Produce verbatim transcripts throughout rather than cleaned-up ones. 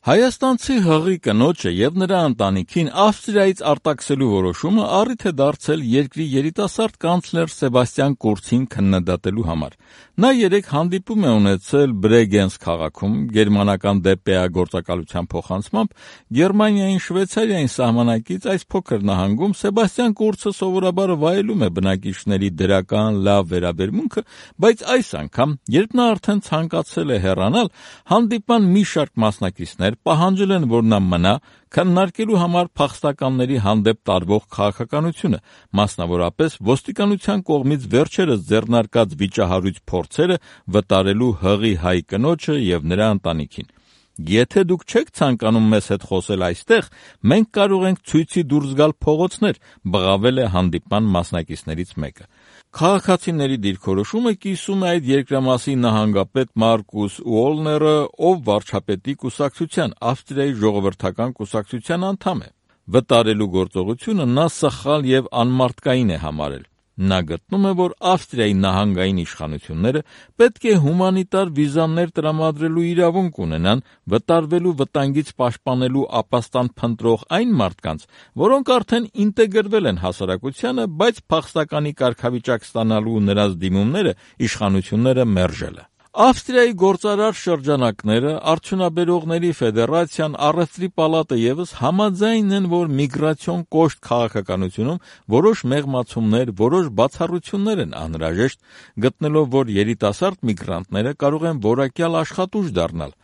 Հայաստանցի հղի կնոջը եւ նրա ընտանիքին Ավստրիայից արտաքսելու որոշումը առիթ է դարձել երկրի երիտասարդ կանցլեր Սեբաստիան Կուրցին քննադատելու համար։ Նա երեկ հանդիպում է ունեցել Բրեգենս քաղաքում գերմանական դե պե է գործակալության փոխանցմամբ Գերմանիային Շվեյցարիային սահմանակից այս փոքր նահանգում Սեբաստիան Կուրցը սովորաբար վայելում է բնակիչների դրական լավ վերաբերմունքը, բայց այս անգամ, երբ նա արդեն ցանկացել է հեռանալ, հանդիպման մի շարք մասնակիցներ պահանջել են, որ նա մնա, քննարկելու համար փախստականների հանդեպ տարվող քաղաքականությունը, մասնավորապես ոստիկանության կողմից վերջերս ձեռնարկած վիճահարույց փորձերը վտարելու հղի հայ կնոջը եւ նրա ընտանիքին։ Եթե դուք չեք ցանկանում մեզ հետ խոսել այստեղ, մենք կարող ենք ցույցի դուրս գալ փողոցներ, բղավել է հանդիպման մասնակիցներից մեկը։ Քաղաքացիների դիրքորոշումը կիսում է այդ երկրամասի նահանգապետ Մարկուս Ուոլները, ով վարչապետի կուսակցության Ավստրիայի ժողովրդական կուսակցության անդամ է։ Վտարելու գործողությունը նա սխալ եւ անմարդկային է համարել։ Նա գտնում է, որ Ավստրիայի նահանգային իշխանությունները պետք է հումանիտար վիզաներ տրամադրելու իրավունք ունենան վտարվելու վտանգից պաշտպանելու ապաստան փնտրող այն մարդկանց, որոնք արդեն ինտեգրվել են հասարակությանը, բայց փախստականի կարգավիճակ ստանալու նրանց դիմումները իշխանությունները մերժել են։ Ավստրիայի գործարար շրջանակները, Արդյունաբերողների ֆեդերացիան, Առևտրի պալատը ևս համաձայն են, որ միգրացիոն կոշտ քաղաքականությունում որոշ մեղմացումներ, որոշ բացառություններ են անհրաժեշտ, գտնելով, որ երիտասարդ միգրանտները կարող են որակյալ աշխատուժ դառնալ,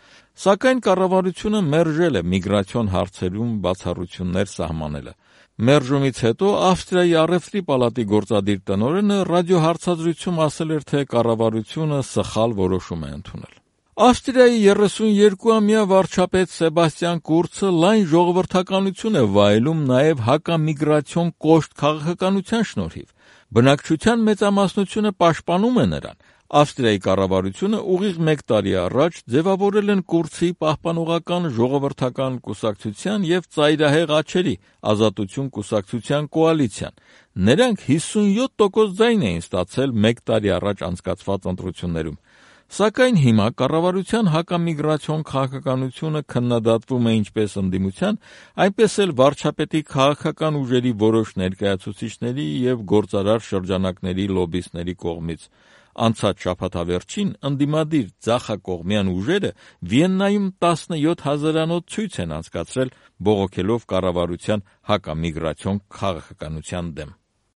սակայն կառավարությունը մերժել է միգրացիոն հարցերում բացառություններ սահմանելը։ Մերժումից հետո Ավստրիայի Առևտրի պալատի գործադիր տնօրենը ռադիոհարցազրույցում ասել էր, թե կառավարությունը սխալ որոշում է ընդունել։ Ավստրիայի երեսունյոթամյա վարչապետ Սեբաստիան Կուրցը լայն ժողովրդականություն է վայելում նաև հակամիգրացիոն կոշտ քաղաքականության շնորհիվ։ Բնակչության մեծամասնությունը պաշտպանում է նրան։ Ավստրիայի կառավարությունը ուղիղ մեկ տարի առաջ ձևավորել են Կուրցի պահպանողական ժողովրդական կուսակցության եւ ծայրահեղ աջերի ազատություն կուսակցության կոալիցիան։ Նրանք հիսունյոթ տոկոս ձայն էին ստացել մեկ տարի առաջ անցկացված ընտրություններում։ Սակայն հիմա կառավարության հակամիգրացիոն քաղաքականությունը քննադատվում է ինչպես ընդդիմության, այնպես էլ վարչապետի քաղաքական ուժերի որոշ ներկայացուցիչների եւ գործարար շրջանակների լոբբիստների կողմից։ Անցած շաբաթավերջին ընդդիմադիր ձախակողմյան ուժերը Վիեննայում տասնյոթ հազարանոց ցույց են անցկացրել, բողոքելով կառավարության հակամիգրացիոն քաղաքականության դեմ։